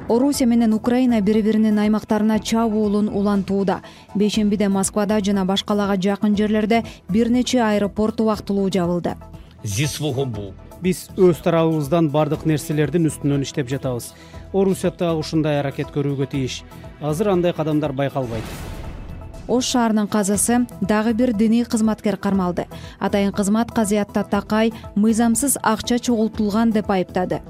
Орусия менен Украина бири-биринин аймактарына чабуулун улантууда. Бейшембиде Москвада жана башкаларга жакын жерлерде бир нече аэропорт убактылуу жабылды. Биз өз тарабыбыздан бардык нерселердин үстүнөн иштеп жатабыз. Орусия так ушундай аракет көрүүгө тийиш. Азыр андай кадамдар байкалбайт. Ош шаарынын казасы дагы бир диний кызматкер кармалды. Атайын кызмат Казиатта Такай мыйзамсыз акча чогултулган деп айыптады.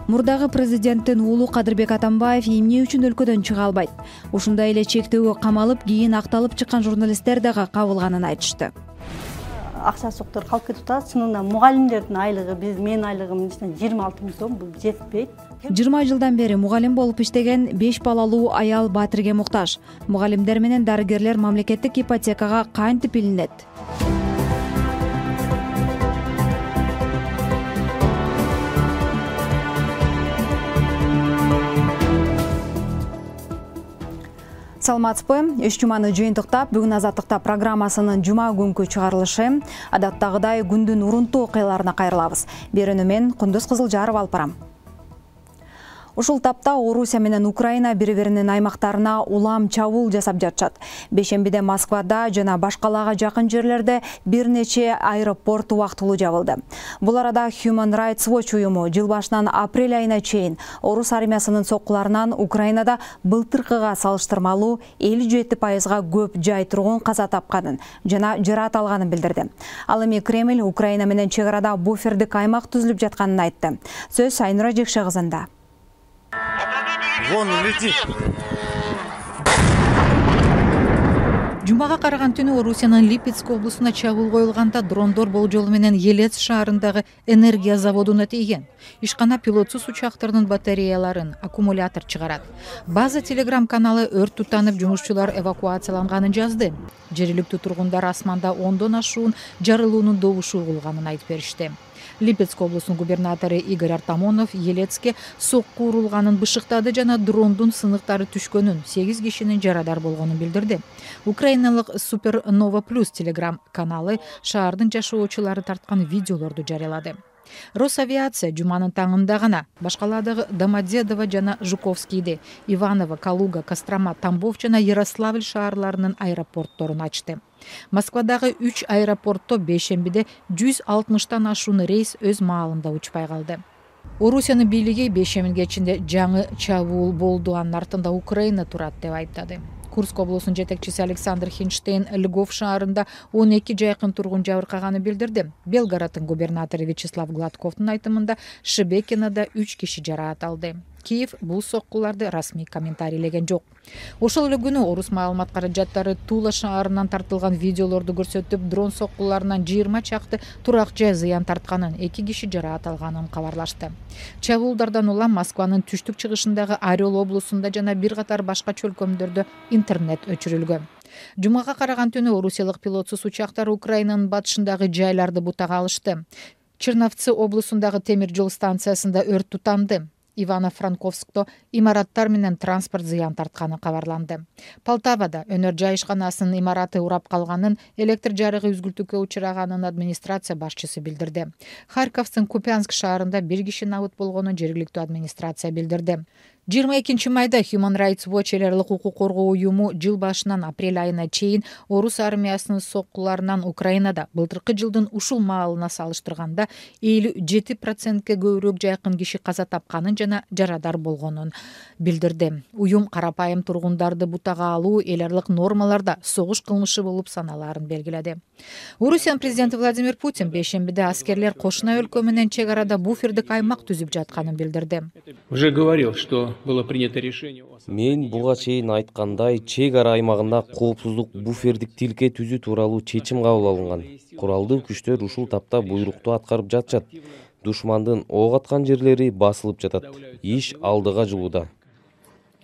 Мурдагы президенттин уулу Кадырбек Атамбаев эмне үчүн өлкөдөн чыга албайт? Ушундай эле чектөөгө камалып, кийин акталып чыккан журналисттер дагы кабылганын айтышты. Акча суктар калып кетип атат. Чынында мугалимдердин айлыгы, менин айлыгым 26 000 сом, бул жетпейт. 20 жылдан бери мугалим болуп иштеген 5 балалуу аял Батирге муктаж. Мугалимдер менен дарыгерлер мамлекеттик ипотекага кантип илинет? Саламатсызбы? Үч жуманы жыйынтыктап, бүгүн Азаттыкта программасынын жума күнкү чыгарылышы. Адаттагыдай күндүн урунтуу окуяларына кайрылабыз. Берүүнү мен Кундуз Кызылжарова алып барам. Ушул тапта Орусия менен Украина бири-биринин аймактарына улам чабуул жасап жатышат. Бейшембиде Москвада жана башкаларга жакын жерлерде бир нече аэропорт убактылуу жабылды. Бул арада Human Rights Watch уюму жыл башынан апрель айына чейин орус армиясынын соккуларынан Украинада былтыркыга салыштырмалуу 57% көп жай тургун каза тапканын жана жараат алганын билдирди. Ал эми Кремль Украина менен чек арада буфердик аймак түзүлүп жатканын айтты. Сөз Айнура Жекше кызында. Вон летит. Жумага караган түнү Орусиянын Липецк облусуна чабуул коюлганда дрондор болжолу менен Елец шаарындагы энергия заводуна тийген. Ишкана пилотсуз учактардын батареяларын, аккумулятор чыгарат. База Телеграм каналы өрт тутанып, жумушчулар эвакуацияланганын жазды. Жергиликтүү тургундар асманда 10дон ашуун жарылуунун добушу угулганын айтып беришти. Липецк облусунун губернатору Игорь Артамонов Елецке сокку урулганын бышыктады жана дрондун сыныктары түшкөнүн, 8 кишинин жарадар болгонун билдирди. Украиналык Супернова Плюс Телеграм каналы шаардын жашоочулары тарткан видеолорду жарыялады. Росавиация жуманын таңында гана башкалардагы Домодедово жана Жуковскийди, Иваново, Калуга, Кострома, Тамбов жана Ярославль шаарларынын аэропортторун ачты. Москвадагы 3 аэропортто бейшембиде 160тан ашуун рейс өз маалында учпай калды. Орусиянын бийлиги бейшембиге кечинде жаңы чабуул болду, анын артында Украина турат деп айттады. Курск облусунун жетекчиси Александр Хинштейн Львов шаарында 12 жайкын тургун жабыркаганын билдирди. Белгороддун губернатору Вячеслав Гладковдун айтымында Шебекинада 3 киши жараат алды. Киев бул соккуларды расмий комментарийлеген жок. Ошол эле күнү орус маалымат каражаттары Тула шаарынан тартылган видеолорду көрсөтүп, дрон соккуларынан 20 чакты турак жай зыян тартканын, 2 киши жараат алганын кабарлашты. Чабуулдардан улам Москванын түштүк чыгышындагы Орел облусунда жана бир катар башка чөлкөмдөрдө интернет өчүрүлгөн. Жумага караган түнү орусиялык пилотсуз учактар Украинанын батышындагы жайларды бутага алышты. Черновцы облусундагы темир жол станциясында өрт тутанды. Ивано-Франковскто имараттар менен транспорт зыян тартканы кабарланды. Полтавада өнөр жай ишканасынын имараты урап калганын, электр жарыгы үзгүлтүккө учураганын администрация башчысы билдирди. Харьковдун Купянск шаарында 1 киши набыт болгонун жергиликтүү администрация билдирди. 22 майда Human Rights Watch элерлик укук коргоо уюму жыл башынан апрель айына чейин орус армиясынын соккуларынан Украинада былтыркы жылдын ушул маалына салыштырганда 57%ке көбүрөөк жайкын киши каза тапканын жана жарадар болгонун билдирди. Уюм карапайым тургундарды бутага алуу элерлик нормаларда согуш кылмышы болуп саналаарын белгиледи. Орусиянын президенти Владимир Путин бейшембиде аскерлер кошуна өлкө менен чек арада буфердик аймак түзүп жатканын билдирди. Уже говорил, что было принято решение. Мен буга чейин айткандай, чек ара аймагында коопсуздук буфердик тилке түзүү тууралуу чечим кабыл алынган. Куралдуу күчтөр ушул тапта буйрукту аткарып жатышат. Душмандын ок аткан жерлери басылып жатат. Иш алдыга жылууда.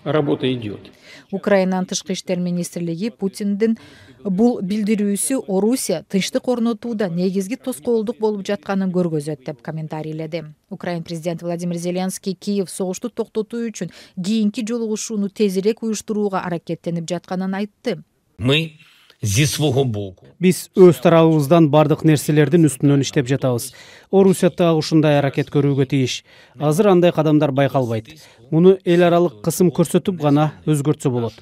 Работа идет. Украинанын тышкы иштер министрлиги Путиндин бул билдирүүсү Орусия тынчтык орнотууда негизги тоскоолдук болуп жатканын көргөзөт деп комментарийледи. Украин президенти Владимир Зеленский Киев согушту токтотуу үчүн кийинки жолугушууну тезирээк уюштурууга аракеттенип жатканын айтты. Мы зі свого боку. Биз өз тарабыбыздан бардык нерселердин үстүнөн иштеп жатабыз. Орусия дагы ушундай аракет көрүүгө тийиш. Азыр андай кадамдар байкалбайт. Муну эл аралык кысым көрсөтүп гана өзгөртсө болот.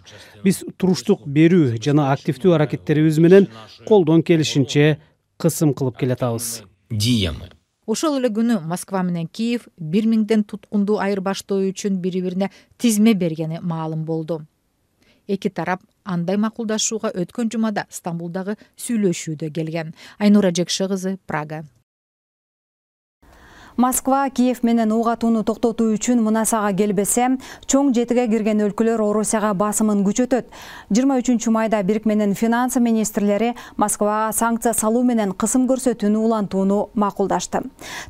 Биз туруштук берүү жана активдүү аракеттерибиз менен колдон келишинче кысым кылып келатабыз. Діями. Ошол эле күнү Москва менен Киев 1000ден туткунду айырбаштоо үчүн бири-бирине тизме бергени маалым болду. Эки тарап андай макулдашууга өткөн жумада Стамбулдагы сүйлөшүүдө келген. Айнура Жекши кызы, Прага. Москва Киев менен ок атууну токтотуу үчүн мунасага келбесе, чоң жетиге кирген өлкөлөр Орусияга басымын күчөтөт. 23 майда Бирикменин финансы министрлери Москвага санкция салуу менен кысым көрсөтүүнү улантууну макулдашты.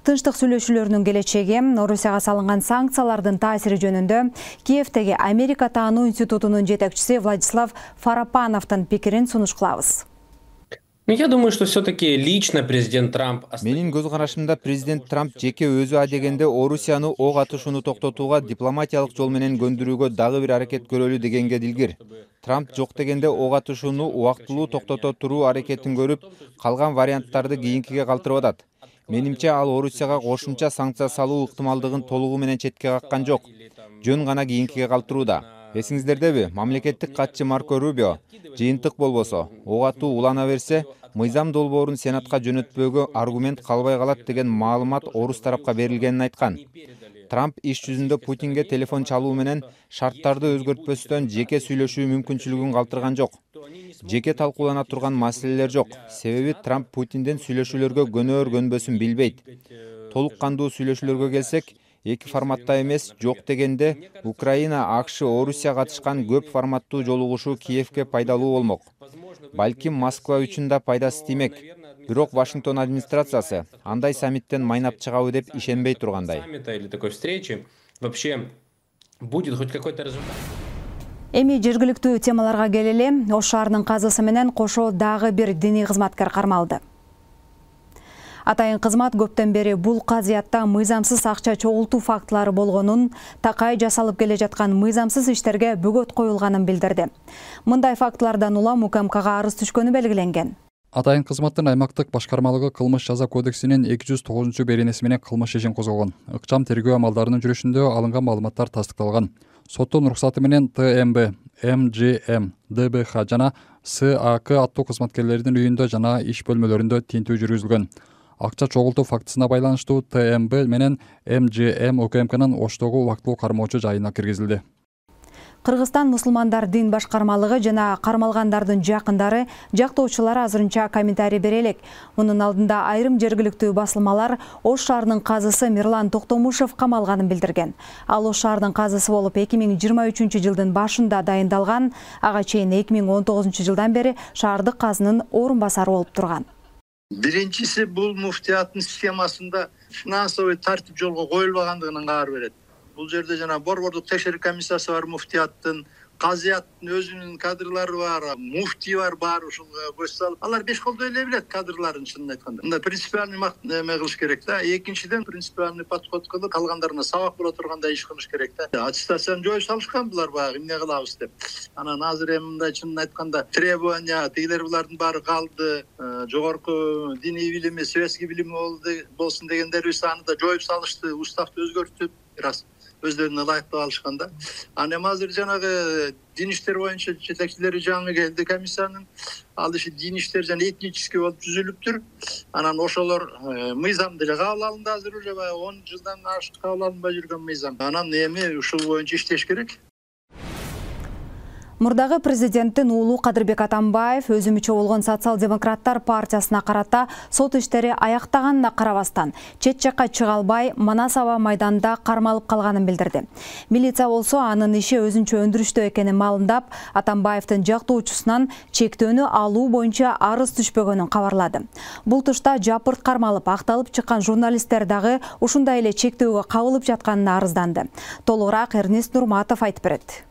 Тынчтык сүйлөшүүлөрүнүн келечеги, Орусияга салынган санкциялардын таасири жөнүндө Киевдеги Америка таануу институтунун жетекчиси Владислав Фарапановдун пикирин сунуш кылабыз. Я думаю, что все-таки лично президент Трамп... Менин көз карашымда президент Трамп жеке өзү адегенде Орусияны ок атышууну токтотууга дипломатиялык жол менен көндүрүүгө дагы бир аракет көрөлү дегенге дилгир. Трамп жок дегенде ок атышууну убактылуу токтото туруу аракетин көрүп, калган варианттарды кийинкиге калтырып атат. Менимче ал Орусияга кошумча санкция салуу ыктымалдыгын толугу менен четке каккан жок. Жөн гана кийинкиге калтырууда. Эсиңиздердеби, мамлекеттик катчы Марко Рубио жыйынтык болбосо, ок атуу улана берсе, мыйзам долбоорун Сенатка жөнөтпөөгө аргумент калбай калат деген маалымат орус тарапка берилгенин айткан. Трамп иш жүзүндө Путинге телефон чалуу менен шарттарды өзгөртпөстөн жеке сүйлөшүү мүмкүнчүлүгүн калтырган жок. Жеке талкуулана турган маселелер жок. Себеби Трамп Путинден сүйлөшүүлөргө көнөөр-көнбөсүн билбейт. Толук кандуу сүйлөшүүлөргө келсек, эки форматта эмес, жок дегенде Украина, АКШ, Орусия катышкан көп форматтуу жолугушуу Киевке пайдалуу болмок. Балким Москва үчүн да пайдасы тиймек. Бирок Вашингтон администрациясы андай саммиттен майнап чыгабы деп ишенбей тургандай. Эми жергиликтүү темаларга келели. Ош шаарынын казысы менен кошо дагы бир диний кызматкер кармалды. Атайын кызмат көптөн бери бул казыятта мыйзамсыз акча чогултуу фактылары болгонун, такай жасалып келе жаткан мыйзамсыз иштерге бөгөт коюлганын билдирди. Мындай фактылардан улам УКМКга арыз түшкөнү белгиленген. Атайын кызматтын аймактык башкармалыгы кылмыш жаза кодексинин 209 беренеси менен кылмыш ишин козгогон. Ыкчам тергөө амалдарынын жүрүшүндө алынган маалыматтар тастыкталган. Соттун уруксаты менен ТМБ, МГМ, ДБХ жана САК аттуу кызматкерлердин үйүндө жана иш бөлмөлөрүндө тинтүү жүргүзүлгөн. Акча чогултуу фактысына байланыштуу ТМБ менен МГМ УКМКнын Оштогу убактылуу кармоочу жайына киргизилди. Кыргызстан мусулмандар дин башкармалыгы жана кармалгандардын жакындары, жактоочулары азырынча комментарий бере элек. Мунун алдында айрым жергиликтүү басылмалар Ош шаарынын казысы Мирлан Токтомушев камалганын билдирген. Ал Ош шаарынын казысы болуп 2023 жылдын башында дайындалган, ага чейин 2019 жылдан бери шаардык казынын орун басары болуп турган. Биринчиси бул муфтияттын системасында финансовый тартип жолго коюлбагандыгынан кабар берет. Бул жерде жана борбордук текшерүү комиссиясы бар муфтияттын, казыяттын өзүнүн кадрлары бар, муфтий бар ушул көз салып. Алар беш колдой эле билет кадрларын чынын айтканда. Мында принципиальный эме кылыш керек да. Экинчиден принципиальный подход кылып калгандарына сабак боло тургандай иш кылыш керек да. Аттестацияны жоюп салышкан булар баягы эмне кылабыз деп. Анан азыр эми мындай чынын айтканда требования тигилер булардын баары калды. Жогорку диний билими, светский билими болсун дегендер аны да жоюп салышты, уставды өзгөртүп, раз өздөрүнө ылайыктап алышканда. Анан азыр жанагы дин иштер боюнча жетекчилери жаңы келди комиссиянын. Ал иши дин иштер жана этнический болуп түзүлүптүр. Анан ошолор мыйзамды эле кабыл алынды, азыр уже 10 жылдан ашык кабыл алынбай жүргөн мыйзам. Анан эми ушул боюнча иштеш керек. Мурдагы президенттин уулу Кадырбек Атамбаев өзүмүчө болгон социал-демократтар партиясына карата сот иштери аяктаганына карабастан чет жакка чыга албай Манас аба майданында кармалып калганын билдирди. Милиция болсо анын иши өзүнчө өндүрүштө экенин маалымдап, Атамбаевдин жактоочусунан чектөөнү алуу боюнча арыз түшпөгөнүн кабарлады. Бул тушта жапырт кармалып акталып чыккан журналисттер дагы ушундай эле чектөөгө кабылып жатканына арызданды. Толугураак Эрнест Нурматов айтып берет.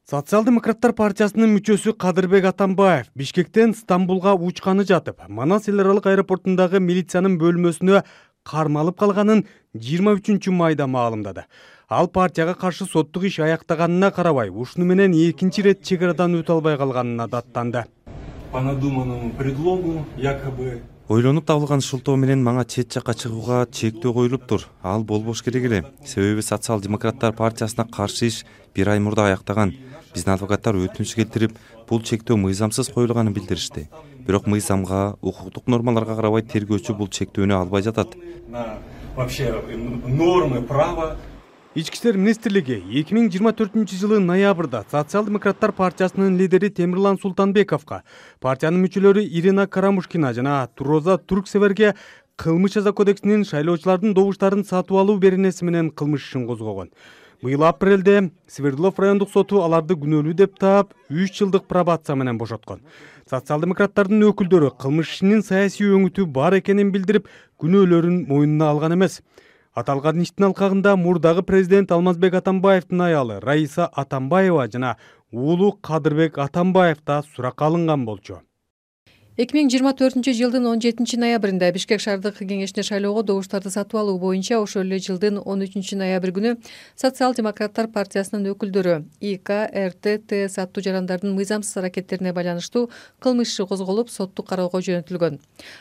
Социал-демократтар партиясынын мүчөсү Кадырбек Атамбаев Бишкектен Стамбулга учканы жатып, Манас эл аралык аэропортундагы милициянын бөлмөсүнө кармалып калганын 23 майда маалымдады. Ал партияга каршы соттук иш аяктаганына карабай, ушуну менен экинчи ирет чек арадан өтө албай калганына даттанды. по надуманному предлогу якобы. Ойлонуп табылган шылтоо менен мага чет жакка чыгууга чектөө коюлуптур. Ал болбош керек эле. Себеби Социал-демократтар партиясына каршы иш 1 ай мурда аяктаган. Биздин адвокаттар өтүнүч келтирип, бул чектөө мыйзамсыз коюлганын билдиришти. Бирок мыйзамга, укуктук нормаларга карабай тергөөчү бул чектөөнү албай жатат. Вообще нормы права. Ички иштер министрлиги 2024-жылы ноябрда Социал-демократтар партиясынын лидери Темирлан Султанбековго, партиянын мүчөлөрү Ирина Карамушкина жана Туроза Турксеверге кылмыш жаза кодексинин шайлоочулардын добуштарын сатып алуу беренеси менен кылмыш ишин козгогон. Быйыл апрелде Свердлов райондук соту аларды күнөөлүү деп таап 3 жылдык пробация менен бошоткон. Социал-демократтардын өкүлдөрү кылмыш ишинин саясий өңүтү бар экенин билдирип, күнөөлөрүн мойнуна алган эмес. Аталган иштин алкагында мурдагы президент Алмазбек Атамбаевдин аялы Раиса Атамбаева жана уулу Кадырбек Атамбаев да суракка алынган болчу. 2024-жылдын 17 ноябрында Бишкек шаардык кеңешине шайлоого добуштарды сатып алуу боюнча ошол эле жылдын 13 ноябрь күнү Социал-демократтар партиясынын өкүлдөрү ИК, РТ, ТС аттуу жарандардын мыйзамсыз аракеттерине байланыштуу кылмыш иши козголуп, соттук кароого жөнөтүлгөн.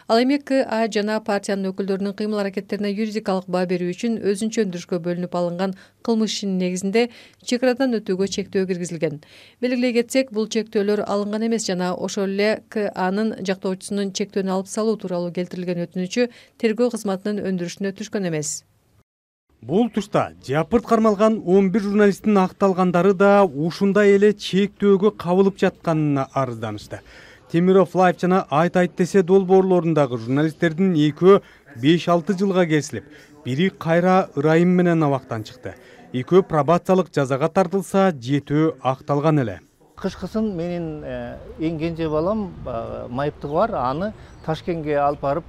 Ал эми КА жана партиянын өкүлдөрүнүн кыймыл аракеттерине юридикалык баа берүү үчүн өзүнчө өндүрүшкө бөлүнүп алынган кылмыш ишинин негизинде чек арадан өтүүгө чектөө киргизилген. Белгилей кетсек, бул чектөөлөр алынган эмес жана ошол эле КАнын жактоочусунун чектөөнү алып салуу тууралуу келтирилген өтүнүчү тергөө кызматынын өндүрүшүнө түшкөн эмес. Бул тушта жапырт кармалган 11 журналисттин акталгандары да ушундай эле чектөөгө кабылып жатканына арызданышты. Темиров Лайф жана Айт десе долбоорлорундагы журналисттердин экөө 5-6 жылга кесилип, бири кайра ырайым менен абактан чыкты. Экөө пробациялык жазага тартылса, 7 акталган эле. Кышкысын менин эң кенже балам майыптыгы бар, аны Ташкентке алып барып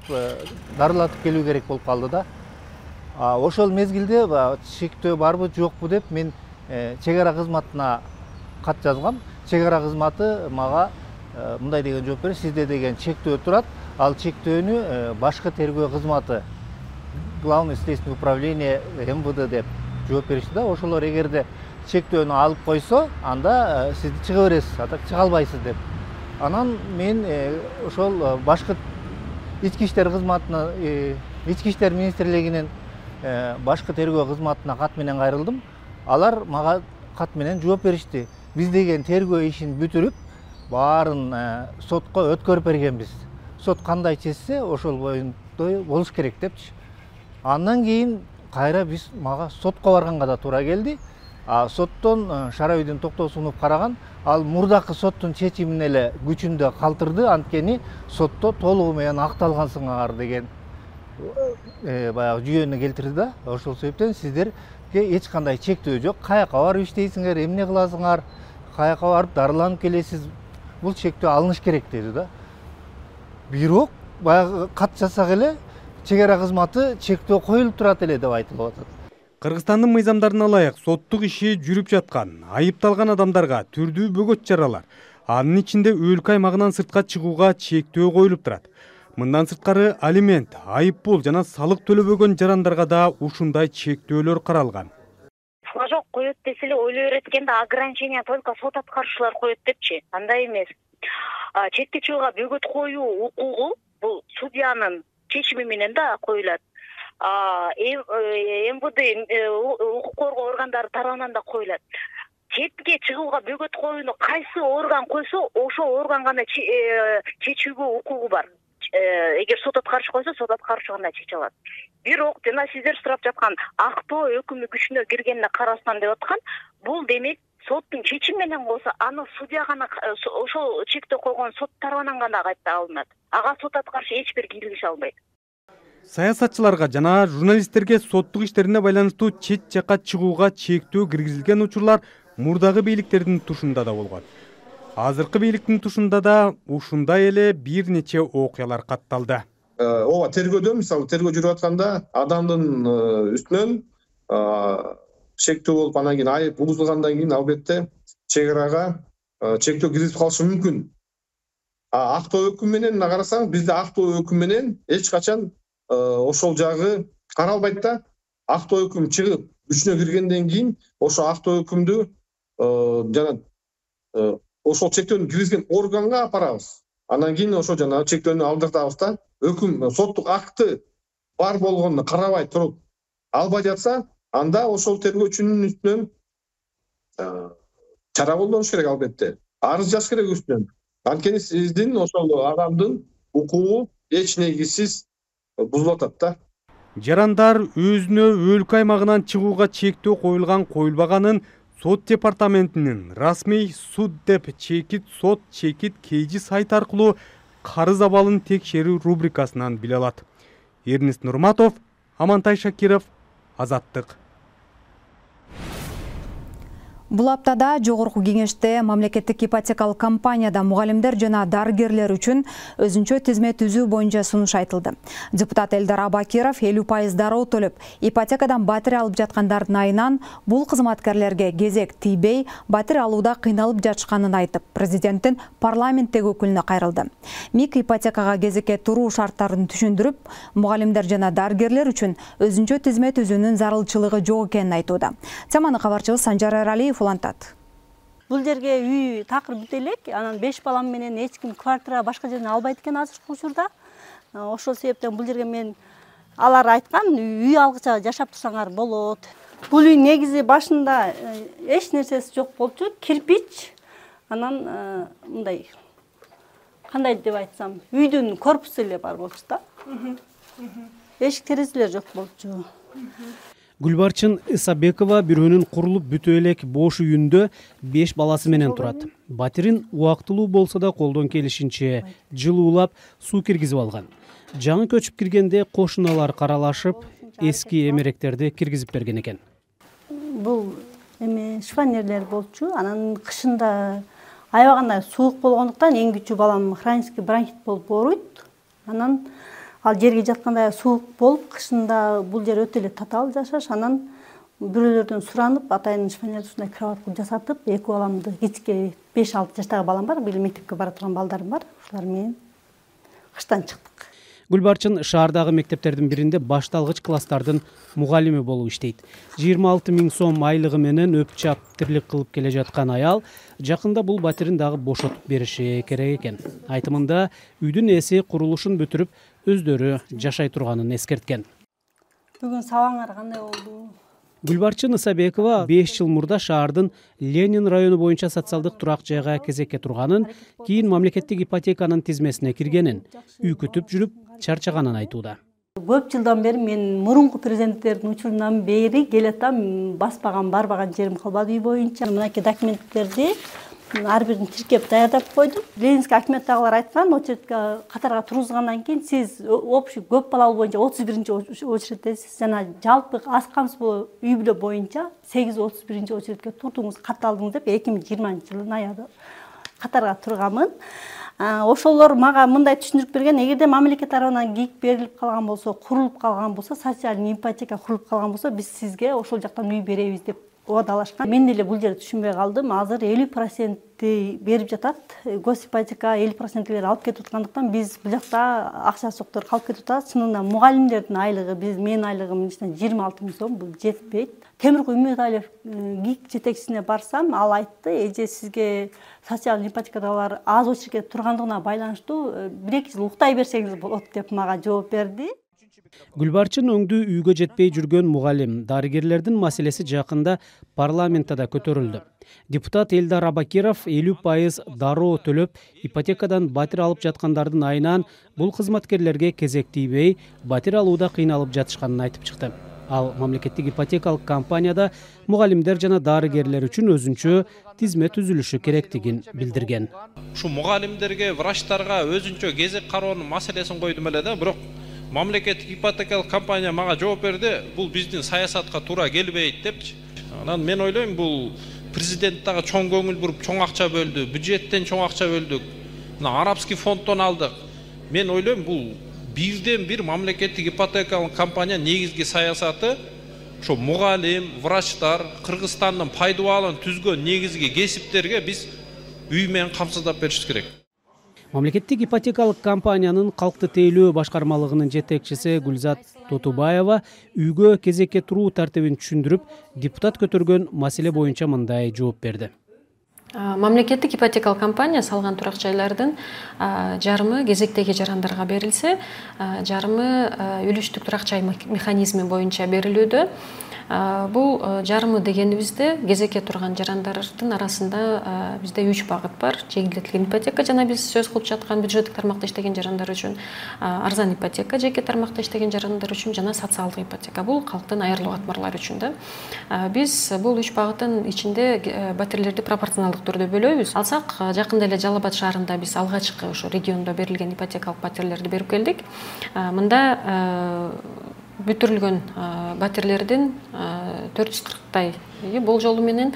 дарылатып келүү керек болуп калды да. Ошол мезгилде чектөө барбы жокпу деп мен чек ара кызматына кат жазгам. Чек ара кызматы мага мындай деген жооп берди: сизде деген чектөө турат, ал чектөөнү башкы тергөө кызматы, Главное следственное управление МВД деп жооп беришти да. Ошолор эгерде чектөөнү алып койсо, анда сизди чыга бересиз, а так чыга албайсыз деп. Анан мен ошол башкы ички иштер кызматына, ички иштер министрлигинин башкы тергөө кызматына кат менен кайрылдым. Алар мага кат менен жооп беришти: биз деген тергөө ишин бүтүрүп, баарын сотко өткөрүп бергенбиз. Сот кандай чечсе, ошол боюнда болуш керек депчи. Андан кийин кайра биз мага сотко барганга да туура келди. Соттон Шарабидин Токтосунов караган, ал мурдакы соттун чечимин эле күчүндө калтырды, анткени сотто толугу менен акталгансыңар деген баягы жүйөнү келтирди да. Ошол себептен сиздерге эч кандай чектөө жок, каяка барып иштейсиңер, эмне кыласыңар, каяка барып дарыланып келесиз, бул чектөө алыныш керек деди да. Бирок баягы кат жазсак эле чек ара кызматы чектөө коюлуп турат эле деп айтылып атат. Кыргызстандын мыйзамдарына ылайык соттук иши жүрүп жаткан, айыпталган адамдарга түрдүү бөгөт чаралар, анын ичинде өлкө аймагынан сыртка чыгууга чектөө коюлуп турат. Мындан сырткары алимент, айып пул жана салык төлөбөгөн жарандарга да ушундай чектөөлөр каралган. Флажок коет десе эле ойлой берет экен да, ограничение только сот аткаруучулар коет депчи. Андай эмес. Четке чыгууга бөгөт коюу укугу бул судьянын чечими менен да коюлат. МВД укук коргоо органдары тарабынан да коюлат. Четке чыгууга бөгөт коюуну кайсы орган койсо, ошол орган гана чечүүгө укугу бар. Эгер сот аткаруучу койсо, сот аткаруучу гана чече алат. Бирок жана сиздер сурап жаткан актоо өкүмү күчүнө киргенине карабастан деп аткан, бул демек соттун чечими менен болсо, аны судья гана ошол чектөө койгон сот тарабынан гана кайта алынат. Ага сот аткаруучу эч бир киргише албайт. Саясатчыларга жана журналисттерге соттук иштерине байланыштуу чет жакка чыгууга чектөө киргизилген учурлар мурдагы бийликтердин тушунда да болгон. Азыркы бийликтин тушунда да ушундай эле бир нече окуялар катталды. Ооба, тергөөдө, мисалы тергөө жүрүп атканда адамдын үстүнөн чектөө болуп, анан кийин айып угузулгандан кийин албетте чек арага чектөө киргизип калышы мүмкүн. Актоо өкүм менен карасаң, бизде актоо өкүм менен эч качан ошол жагы каралбайт да. Актоо өкүм чыгып күчүнө киргенден кийин ошо актоо өкүмдү жана ошол чектөөнү киргизген органга апарабыз. Анан кийин ошо жанагы чектөөнү алдыртабыз да, өкүм соттук акты бар болгонуна карабай туруп албай жатса, анда ошол тергөөчүнүн үстүнөн чара колдонуш керек албетте. Арыз жазыш керек үстүнөн. Анткени сиздин ошол адамдын укугу эч негизсиз бузулуп атат да. Жарандар өзүнө өлкө аймагынан чыгууга чектөө коюлганын сот департаментинин расмий суд деп чекит сот чекит KG сайт аркылуу карыз абалын текшерүү рубрикасынан биле алат. Эрнест Нурматов, Амантай Шакиров, Азаттык. Бул аптада жогорку кеңеште мамлекеттик ипотекалык компанияда мугалимдер жана дарыгерлер үчүн өзүнчө тизме түзүү боюнча сунуш айтылды. Депутат Элдар Абакиров 50% дароо төлөп, ипотекадан батир алып жаткандардын айынан бул кызматкерлерге кезек тийбей, батир алууда кыйналып жатышканын айтып, президенттин парламенттеги өкүлүнө кайрылды. МИК ипотекага кезекке туруу шарттарын түшүндүрүп, мугалимдер жана дарыгерлер үчүн өзүнчө тизме түзүүнүн зарылчылыгы жок экенин айтууда. Теманы кабарчыбыз Санжар Эралиев улантат. Бул жерге үй такыр бүт элек, анан 5 балам менен эч ким квартира башка жерден албайт экен азыркы учурда. Ошол себептен бул жерге мен алар айткан, үй алгыча жашап турсаңар болот. Бул үй негизи башында эч нерсеси жок болчу, кирпич. Анан мындай кандай деп айтсам, үйдүн корпусу эле бар болчу да. Эшик терезелер жок болчу. Гүлбарчын Исабекова бирөөнүн курулуп бүтө элек бош үйүндө 5 баласы менен турат. Батирин убактылуу болсо да колдон келишинче жылуулап, суу киргизип алган. Жаңы көчүп киргенде кошуналар каралашып, эски эмеректерди киргизип берген экен. Бул шифонерлер болчу. Анан кышында аябаганда суук болгондуктан эң күчү балам хронический бронхит болуп ооруйт. Анан ал жерге жатканда суук болуп, кышында бул жер өтө эле татаал жашаш. Анан бирөөлөрдөн суранып, атайын шифонерден кроватка жасатып, эки баламды, кичке 5-6 жаштагы балам бар, бир мектепке бара турган балдарым бар. Ушулар менен кыштан чыктык. Гүлбарчын шаардагы мектептердин биринде башталгыч класстардын мугалими болуп иштейт. 26 000 сом айлыгы менен өпчап тирлик кылып келе жаткан аял жакында бул батирин дагы бошотуп бериши керек экен. Айтымында үйдүн ээси курулушун бүтүрүп, өздөрү жашай турганын эскерткен. Бүгүн сабаңар кандай болду? Гүлбарчын Исабекова 5 жыл мурда шаардын Ленин району боюнча социалдык турак жайга кезекке турганын, кийин мамлекеттик ипотеканын тизмесине киргенин, үй күтүп жүрүп чарчаганын айтууда. Көп жылдан бери мен мурунку президенттердин учурунан бери келатам, баспаган, барбаган жерим калбады үй боюнча. Мынакей документтерди ар бирин тиркеп даярдап койдум. Ленинский акиматтагылар айткан, очередке катарга тургузгандан кийин сиз общий көп балалуу боюнча 31-чи очередтесиз, жана жалпы аз камсыз үй бүлө боюнча 831-чи очередке турдуңуз, кат алдыңыз деп 2020-жылдын аягында катарга турганмын. Ошолор мага мындай түшүндүрүп берген, эгерде мамлекет тарабынан кийик берилип калган болсо, курулуп калган болсо, социальный ипотека курулуп калган болсо, биз сизге ошол жактан үй беребиз деп оодалашкан. Мен деле бул жерде түшүнбөй калдым. Азыр 50% берип жатат. Госипотека 50% алып кетип аткандыктан биз бул жакта акча соктор калып кетип атат. Чынында мугалимдердин айлыгы, менин айлыгым 26 000 сом, бул жетпейт. Темиркул Үмүталиев ГИК жетекчисине барсам, ал айтты, эже сизге социалдык ипотекадагылар аз очередке тургандыгына байланыштуу 1-2 жыл уктай берсеңиз болот деп мага жооп берди. Гүлбарчын өңдүү үйгө жетпей жүргөн мугалим, дарыгерлердин маселеси жакында парламентте көтөрүлдү. Депутат Элдар Абакиров 50% дароо төлөп, ипотекадан батир алып жаткандардын айынан бул кызматкерлерге кезек тийбей, батир алууда кыйналып жатышканын айтып чыкты. Ал мамлекеттик ипотекалык компанияда мугалимдер жана дарыгерлер үчүн өзүнчө тизме түзүлүшү керектигин билдирген. Ушу мугалимдерге, врачтарга өзүнчө кезек кароонун маселесин койдум эле да, бирок мамлекеттик ипотекалык компания мага жооп берди, бул биздин саясатка туура келбейт депчи. Анан мен ойлойм, бул президент дагы чоң көңүл буруп чоң акча бөлдү, бюджеттен чоң акча бөлдүк, мына арабский фонддон алдык. Мен ойлойм, бул бирден бир мамлекеттик ипотекалык компания негизги саясаты ошо мугалим, врачтар, Кыргызстандын пайдубалын түзгөн негизги кесиптерге биз үй менен камсыздап беришибиз керек. Мамлекеттик ипотекалык компаниянын калкты тейлөө башкармалыгынын жетекчиси Гүлзат Тотубаева үйгө кезекке туруу тартибин түшүндүрүп, депутат көтөргөн маселе боюнча мындай жооп берди. Мамлекеттик ипотекалык компания салган турак жайлардын жарымы кезектеги жарандарга берилсе, жарымы үлүштүк турак жай механизми боюнча берилүүдө. Бул жарымы дегенибизде кезекке турган жарандардын арасында бизде 3 багыт бар. Жеңилдетилген ипотека жана биз сөз кылып жаткан бюджеттик тармакта иштеген жарандар үчүн, арзан ипотека жеке тармакта иштеген жарандар үчүн жана социалдык ипотека. Бул калктын айрылуу катмарлары үчүн да. Биз бул 3 багыттын ичинде батирлерди пропорционалдык түрдө бөлөбүз. Алсак, жакында эле Жалал Абад шаарында биз алгачкы ошо региондо берилген ипотекалык батирлерди берип келдик. Мында бүтүрүлгөн батирлердин 440-тай болжолу менен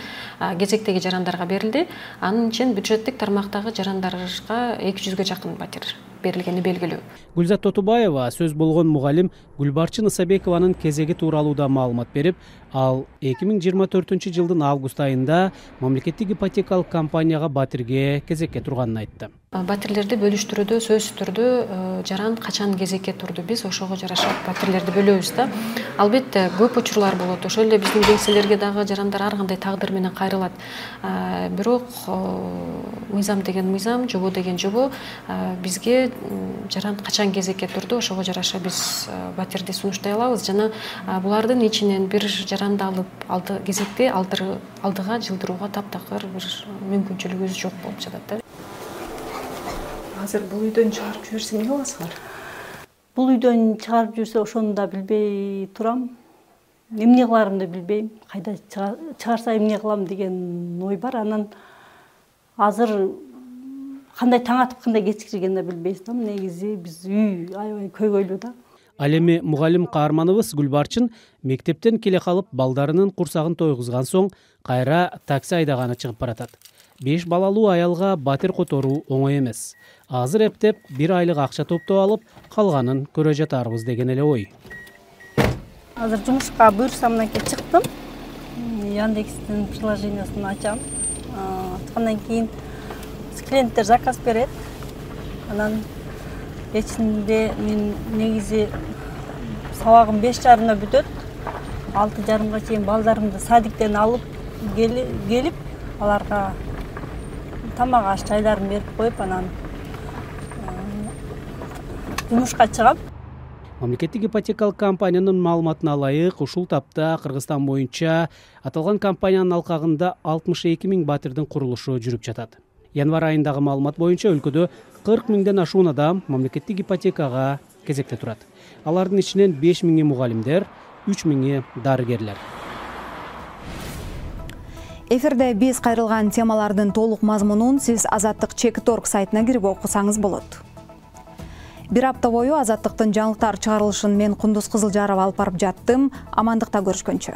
кезектеги жарандарга берилди. Анын ичинен бюджеттик тармактагы жарандарга 200-гө жакын батир берилгени белгилүү. Гүлзат Тотубаева сөз болгон мугалим Гүлбарчын Исабекованын кезеги тууралуу да маалымат берип, ал 2024-жылдын август айында мамлекеттик ипотекалык компанияга батирге кезекке турганын айтты. Батирлерди бөлүштүрүүдө сөзсүз түрдө жаран качан кезекке турду, биз ошого жараша батирлерди бөлөбүз да. Албетте көп учурлар болот. Ошол эле биздин кеңселерге дагы жарандар ар кандай тагдыр менен кайрылат. Бирок мыйзам деген мыйзам, жобо деген жобо. Бизге жаран качан кезекке турду, ошого жараша биз батирди сунуштай алабыз. Жана булардын ичинен бир жаранды алып кезекте алдыга жылдырууга таптакыр бир мүмкүнчүлүгүбүз жок болуп жатат да. Азыр бул үйдөн чыгарып жиберсе эмне кыласыңар? Бул үйдөн чыгарып жүрсө ошону да билбей турам. Эмне кыларымды билбейм. Кайда чыгарса эмне кылам деген ой бар. Анан азыр кандай таң атып, кандай кечкиргенин да билбейбиз да. Негизи биз үй аябай көйгөйлүү да. Ал эми мугалим каарманыбыз Гүлбарчын мектептен келе калып балдарынын курсагын тойгузган соң кайра такси айдаганы чыгып баратат. 5 балалуу аялга батир которуу оңой эмес. Азыр эптеп 1 айлык акча топтоп алып, калганын көрө жатарбыз деген эле ой. Азыр жумушка буйрса мынакей чыктым. Яндекстин приложениясын ачам. Ачкандан кийин клиенттер заказ берет. Анан кечинде мен негизи сабагым 5:30 бүтөт. 6:30 чейин балдарымды садиктен алып келип, аларга тамак аш жайларын берип коюп, анан жумушка чыгам. Мамлекеттик ипотекалык компаниянын маалыматына ылайык, ушул тапта Кыргызстан боюнча аталган компаниянын алкагында 62 000 батирдин курулушу жүрүп жатат. Январь айындагы маалымат боюнча өлкөдө 40 000ден ашуун адам мамлекеттик ипотекага кезекте турат. Алардын ичинен 5 000 мугалимдер, 3 000 дарыгерлер. Эфирде биз кайрылган темалардын толук мазмунун сиз Азаттык Чек.org сайтына кирип окусаңыз болот. Бир апта бою Азаттыктын жаңылыктар чыгарылышын мен Кундуз Кызылжарова алып барып жаттым. Амандыкта көрүшкөнчө.